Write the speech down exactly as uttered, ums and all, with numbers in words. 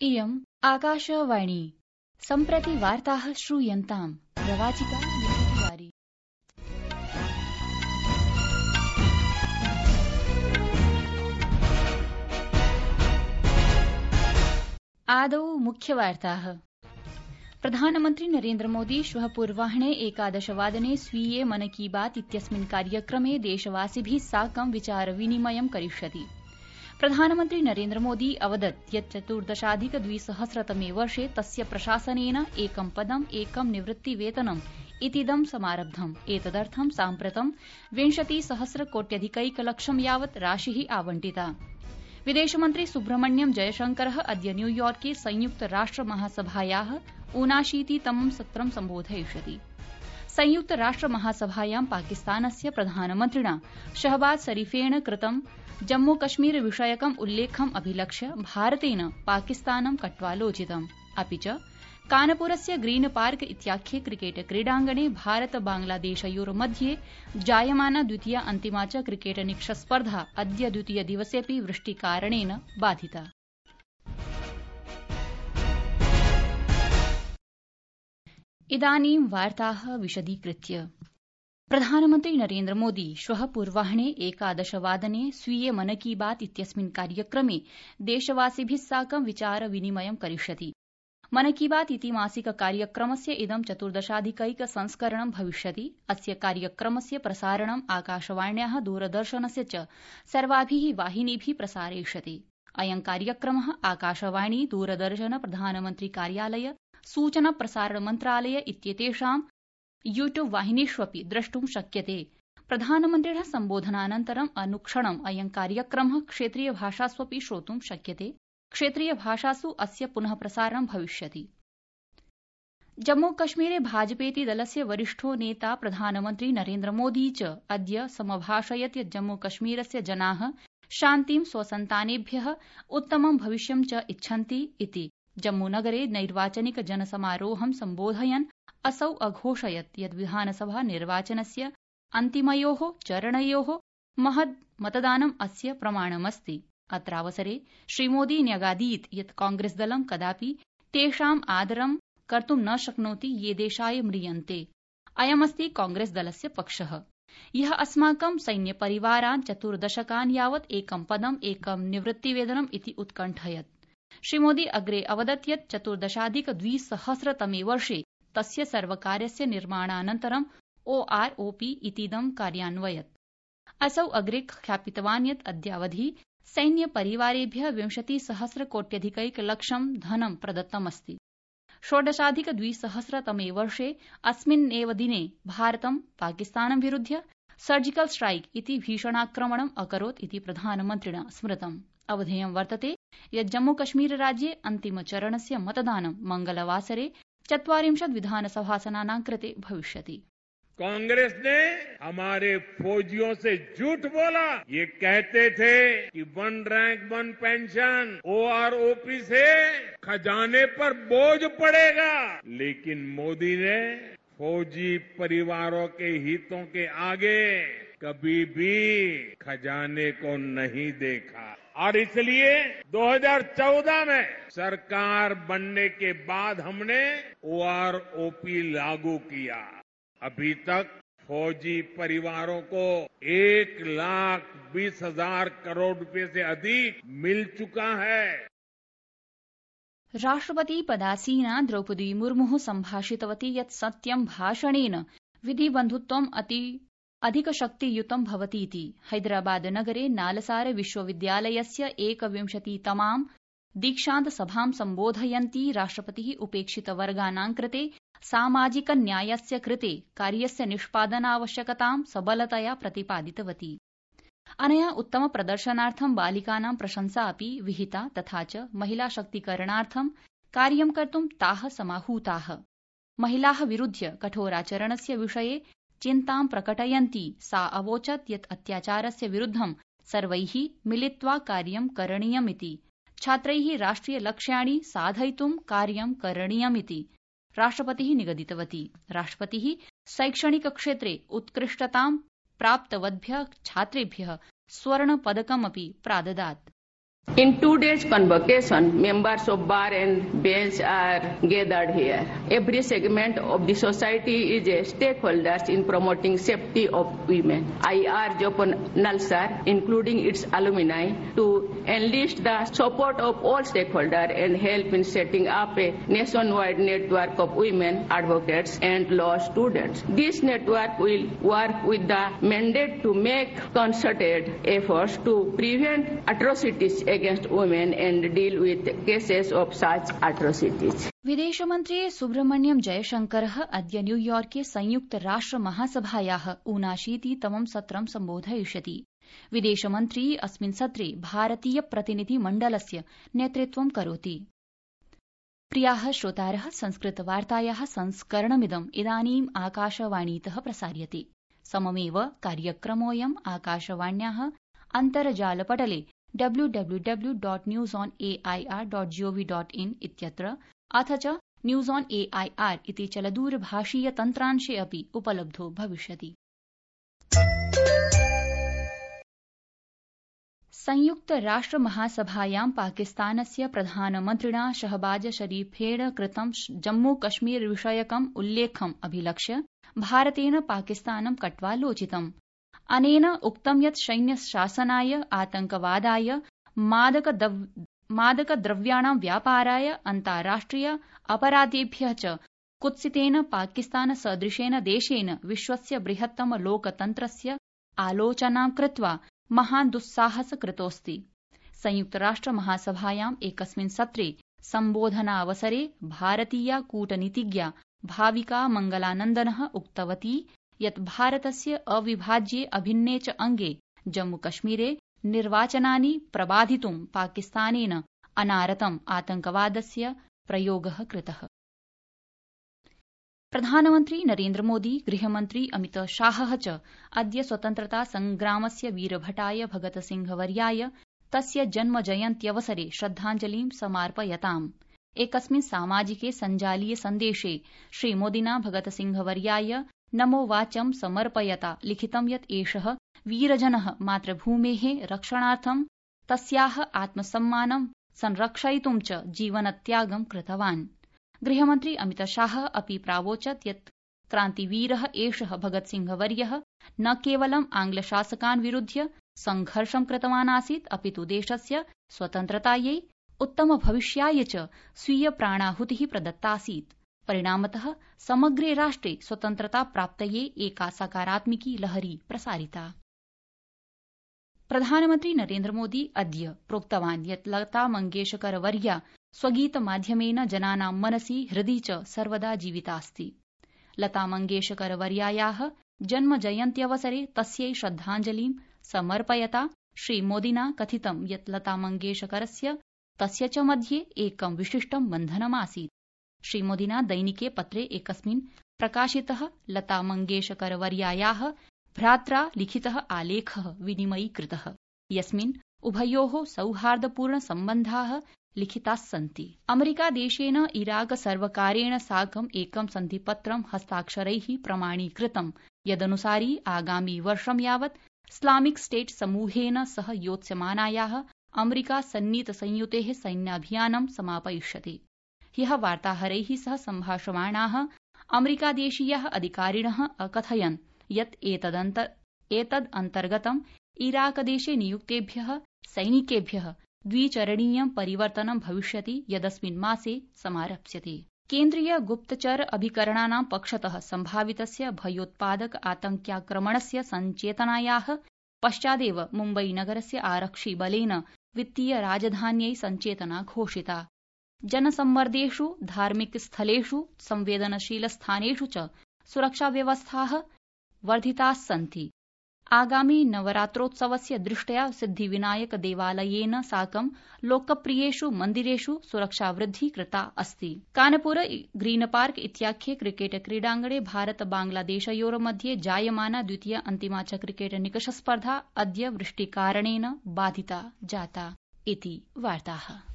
इयम् आकाशवाणी। सम्प्रति वार्ताः श्रूयन्ताम्। प्रवाचिका निवारी। आदौ मुख्यवार्ताः। प्रधानमन्त्री नरेन्द्र मोदी श्वः पूर्वाह्ने एकादशवादने स्वीये मन की बात इत्यस्मिन् कार्यक्रमे देशवासिभिः साकं विचारविनिमयं करिष्यति। प्रधानमन्त्री नरेन्द्र मोदी अवदत् यत् चतुर्दशाधिक द्विसहस्रतमे वर्षे तस्य प्रशासनेन एकं पदम् एकं निवृत्तिवेतनम् इतीदं समारब्धम्। एतदर्थं साम्प्रतं विंशतिसहस्रकोट्यधिकैकलक्षं यावत् राशिः आवंटिता। विदेशमन्त्री सुब्रह्मण्यम जयशंकरः अद्य न्यूयॉर्के संयुक्त राष्ट्र महासभायाः ऊनाशीतितमं सत्रं सम्बोधयिष्यति। संयुक्त राष्ट्र महासभायां पाकिस्तानस्य प्रधानमन्त्रिणा शहबाज शरीफेण कृतं जम्मू कश्मीर विषयकम् उल्लेखम् अभिलक्ष्य भारतेन पाकिस्तानं कट्वालोचितम्। अपि च कानपुरस्य ग्रीन पार्क इत्याख्ये क्रिकेट क्रीडाङ्गणे भारत बांग्लादेशयोर्मध्ये जायमाना द्वितीया अन्तिमा च क्रिकेट निकषस्पर्धा अद्य द्वितीय दिवसेऽपि वृष्टिकारणेन बाधिता। इदानीं वार्ताः विशदीकृत्य। प्रधानमन्त्री नरेन्द्र मोदी श्वः पूर्वाह्ने एकादशवादने स्वीये मन की बात इत्यस्मिन् कार्यक्रमे देशवासिभिः साकं विचारविनिमयं करिष्यति। मन की बात इति मासिक कार्यक्रमस्य इदं चतुर्दशाधिकैक संस्करणं भविष्यति। अस्य कार्यक्रमस्य प्रसारणम् आकाशवाण्याः दूरदर्शनस्य च सर्वाभिः वाहिनीभिः प्रसारयिष्यते। अयं कार्यक्रमः आकाशवाणी दूरदर्शन प्रधानमन्त्री कार्यालय सूचना प्रसारण मन्त्रालय इत्येतेषां यूट्यूब वाहिनीष्वपि द्रष्टुं शक्यते। प्रधानमन्त्रिणः सम्बोधनानन्तरम् अनुक्षणम् अयं कार्यक्रमः क्षेत्रीयभाषास्वपि श्रोतुं शक्यते। क्षेत्रीयभाषासु अस्य पुनः प्रसारणं भविष्यति। जम्मू कश्मीरे भाजपेति दलस्य वरिष्ठो नेता प्रधानमन्त्री नरेन्द्र मोदी च अद्य समभाषयत् यत् जम्मू कश्मीरस्य जनाः शान्तिं स्वसन्तानेभ्यः उत्तमं भविष्यं च इच्छन्ति इति। जम्मूनगरे नैर्वाचनिक जनसमारोहं सम्बोधयन् असौ अघोषयत् यत् विधानसभा निर्वाचनस्य अन्तिमयोः चरणयोः महद् मतदानम् अस्य प्रमाणमस्ति। अत्रावसरे श्रीमोदी न्यगादीत् यत् कांग्रेसदलं कदापि तेषाम् आदरं कर्तुं न शक्नोति ये देशाय म्रियन्ते। अयमस्ति कांग्रेसदलस्य पक्षः, यः अस्माकं सैन्यपरिवारान् चतुर्दशकान् यावत् एकं पदम् एकं निवृत्तिवेतनम् इति उत्कण्ठयत्। श्रीमोदी अग्रे अवदत् यत् चतुर्दशाधिक द्विसहस्रतमे वर्षे तस्य सर्वकारस्य निर्माणानन्तरं ओआरओपी इतीदं कार्यान्वयत्। असौ अग्रे ख्यापितवान् यत् अद्यावधि सैन्यपरिवारेभ्यः विंशतिसहस्रकोट्यधिकैकलक्षं धनं प्रदत्तमस्ति। षोडशाधिक द्विसहस्रतमे वर्षे अस्मिन्नेव दिने भारतं पाकिस्तानं विरुध्य सर्जिकल स्ट्राइक इति भीषणाक्रमणम् अकरोत् इति प्रधानमन्त्रिणा स्मृतम्। अवधेयं वर्तते यत् जम्मूकश्मीरराज्ये अन्तिमचरणस्य मतदानं मंगलवासरे चत्वारिंशत् विधानसभासनानां कृते भविष्यति। कांग्रेस ने हमारे फौजियों से झूठ बोला। ये कहते थे कि वन रैंक वन पेंशन ओआरओपी से खजाने पर बोझ पड़ेगा, लेकिन मोदी ने फौजी परिवारों के हितों के आगे कभी भी खजाने को नहीं देखा। और इसलिए दो हज़ार चौदह में सरकार बनने के बाद हमने ओआरओपी लागू किया। अभी तक फौजी परिवारों को एक लाख बीस हजार करोड़ रुपए से अधिक मिल चुका है। राष्ट्रपति पदासीना द्रौपदी मुर्मुः सम्भाषितवती यत् सत्यं भाषणेन विधिबन्धुत्वम् अति अधिकशक्तियुतं भवतीति। हैदराबाद नगरे नालसार विश्वविद्यालयस्य एकविंशतितमां दीक्षान्तसभां सम्बोधयन्ती राष्ट्रपतिः उपेक्षितवर्गाणां कृते सामाजिक न्यायस्य कृते कार्यस्य निष्पादनावश्यकतां सबलतया प्रतिपादितवती। अनया उत्तमप्रदर्शनार्थं बालिकानां प्रशंसा अपि विहिता तथा च महिलाशक्तीकरणार्थं कार्यं कर्तुं ताः समाहूताः। महिलाः विरुध्य कठोराचरणस्य विषये चिन्तां प्रकटयन्ती सा अवोचत् यत् अत्याचारस्य विरुद्धं सर्वैः मिलित्वा कार्यं करणीयमिति। छात्रैः राष्ट्रियलक्ष्याणि साधयितुं कार्यं करणीयमिति राष्ट्रपतिः निगदितवती। राष्ट्रपतिः शैक्षणिकक्षेत्रे उत्कृष्टतां प्राप्तवद्भ्यः छात्रेभ्यः स्वर्णपदकमपि प्राददात्। In two days convocation, members of bar and bench are gathered here. Every segment of the society is a stakeholder in promoting safety of women. I urge upon NALSA, including its alumni, to enlist the support of all stakeholders and help in setting up a nationwide network of women advocates and law students. This network will work with the mandate to make concerted efforts to prevent atrocities against women and deal with cases of such atrocities. विदेशमन्त्री सुब्रह्मण्यम जयशंकरः अद्य न्यूयॉर्के संयुक्त राष्ट्र महासभायाः ऊनाशीतितमं सत्रं सम्बोधयिष्यति। विदेशमन्त्री अस्मिन् सत्रे भारतीय प्रतिनिधिमण्डलस्य नेतृत्वं करोति। प्रियाः श्रोतारः, संस्कृतवार्तायाः संस्करणमिदम् इदानीम् आकाशवाणीतः प्रसार्यते। सममेव कार्यक्रमोऽयम् आकाशवाण्याः अन्तर्जालपटले W W W dot news on A I R dot GOV dot in इत्यत्र अथ च news on A I R इति चलदूरभाषीय तन्त्रांशे अपि उपलब्धो भविष्यति। संयुक्त राष्ट्र महासभायां पाकिस्तानस्य प्रधानमन्त्रिणा शहबाज शरीफेण कृतं जम्मू कश्मीर विषयकम् उल्लेखम् अभिलक्ष्य भारतेन पाकिस्तानं कट्वालोचितम्। अनेन उक्तं यत् सैन्यशासनाय, आतंकवादाय, मादकद्रव्याणां व्यापाराय, अन्ताराष्ट्रिय अपराधेभ्यः च कुत्सितेन पाकिस्तानसदृशेन देशेन विश्वस्य बृहत्तम लोकतन्त्रस्य आलोचनां कृत्वा महान् दुस्साहस कृतोऽस्ति। संयुक्तराष्ट्र महासभायाम् एकस्मिन् सत्रे सम्बोधनावसरे भारतीया कूटनीतिज्ञा भाविका मंगलानन्दनः उक्तवती यत् भारतस्य अविभाज्ये अभिन्ने च अंगे जम्मूकश्मीरे निर्वाचनानि प्रबाधितुं पाकिस्तानेन अनारतम् आतंकवादस्य प्रयोगः कृतः। प्रधानमन्त्री नरेन्द्रमोदी, गृहमन्त्री अमितशाहः च अद्य स्वतन्त्रता संग्रामस्य वीरभटाय भगतसिंहवर्याय तस्य जन्मजयन्त्यवसरे श्रद्धाञ्जलिं समार्पयताम्। एकस्मिन् सामाजिके सञ्जालीय सन्देशे श्रीमोदिना भगतसिंहवर्याय नमो वाचं समर्पयता लिखितं यत् एषः वीरजनः मातृभूमेः रक्षणार्थं तस्याः आत्मसम्मानं संरक्षयितुं च जीवनत्यागं कृतवान्। गृहमन्त्री अमितशाहः अपि प्रावोचत् यत् क्रान्तिवीरः एषः भगतसिंहवर्यः न केवलं आङ्ग्लशासकान् विरुध्य संघर्षं कृतवान् आसीत्, अपितु देशस्य स्वतन्त्रतायै, उत्तमभविष्याय च स्वीय प्राणाहुतिः प्रदत्तासीत्। परिणामतः समग्रे राष्ट्रे स्वतन्त्रताप्राप्तये एका सकारात्मिकी लहरी प्रसारिता। प्रधानमन्त्री नरेन्द्रमोदी अद्य प्रोक्तवान् यत् लता मंगेशकरवर्या स्वगीतमाध्यमेन जनानां मनसि हृदि च सर्वदा जीवितास्ति। लता मंगेशकरवर्यायाः जन्मजयन्त्यवसरे तस्यै श्रद्धाञ्जलिं समर्पयता श्रीमोदिना कथितं यत् लता मंगेशकरस्य तस्य च मध्ये एकं विशिष्टं बन्धनमासीत्। श्रीमोदिना दैनिके पत्रे एकस्मिन् प्रकाशितः लता मंगेशकरवर्यायाः भ्रात्रा लिखितः आलेखः विनिमयीकृतः, यस्मिन् उभयोः सौहार्दपूर्ण सम्बन्धाः लिखितास्सन्ति। अमेरिकादेशेन इराक सर्वकारेण साकम् एकं सन्धिपत्रं हस्ताक्षरैः प्रमाणीकृतं, यदनुसारि आगामि वर्षं यावत् इस्लामिक स्टेट समूहेन सह योत्स्यमानायाः अमेरिका सन्नीत संयुतेः सैन्याभियानं समापयिष्यति। ह्यः वार्ताहरैः सह सम्भाषमाणाः अमेरिकादेशीयाः अधिकारिणः अकथयन् यत् एतदन्तर्गतं इराकदेशे नियुक्तेभ्यः सैनिकेभ्यः द्विचरणीयं परिवर्तनं भविष्यति, यदस्मिन् मासे समारप्स्यते। केन्द्रीय गुप्तचर अभिकरणानां पक्षतः सम्भावितस्य भयोत्पादक आतंक्याक्रमणस्य सञ्चेतनायाः पश्चादेव मुम्बईनगरस्य आरक्षिबलेन वित्तीय राजधान्यै सञ्चेतना घोषिता। जनसम्मर्देषु, धार्मिकस्थलेषु, संवेदनशीलस्थानेषु च सुरक्षाव्यवस्थाः वर्धितास्सन्ति। आगामि नवरात्रोत्सवस्य दृष्ट्या सिद्धिविनायक देवालयेन साकं लोकप्रियेषु मन्दिरेषु सुरक्षावृद्धिः कृता अस्ति। कानपुर ग्रीन पार्क इत्याख्ये क्रिकेट क्रीडाङ्गणे भारत बांग्लादेशयोर्मध्ये जायमाना द्वितीय अन्तिमा च क्रिकेट निकषस्पर्धा अद्य वृष्टिकारणेन बाधिता जाता। इति वार्ताः।